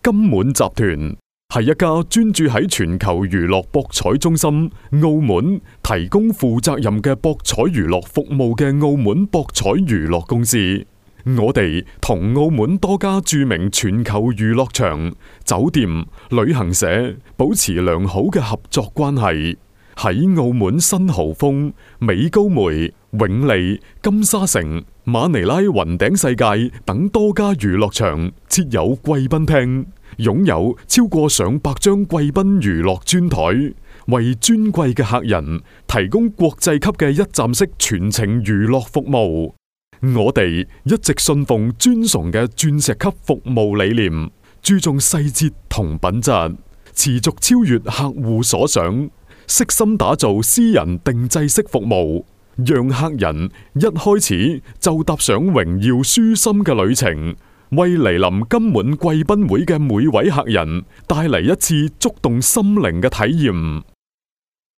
金滿集團係一家專注喺全球娛樂博彩中心澳門提供負責任嘅博彩娛樂服務嘅澳門博彩娛樂公司。我哋同澳門多家著名全球娛樂場、酒店、旅行社保持良好嘅合作關係。喺澳門新濠豐、美高梅、永利、金沙城、馬尼拉雲頂世界等多家娛樂場設有貴賓廳，擁有超過上百張貴賓娛樂專台，為尊貴嘅客人提供國際級嘅一站式全程娛樂服務。我哋一直信奉尊崇嘅鑽石級服務理念，注重細節同品質，持續超越客戶所想，悉心打造私人定制式服務，讓客人一開始就踏上榮耀舒心嘅旅程，為嚟臨金滿貴賓會嘅每位客人帶嚟一次觸動心靈嘅體驗。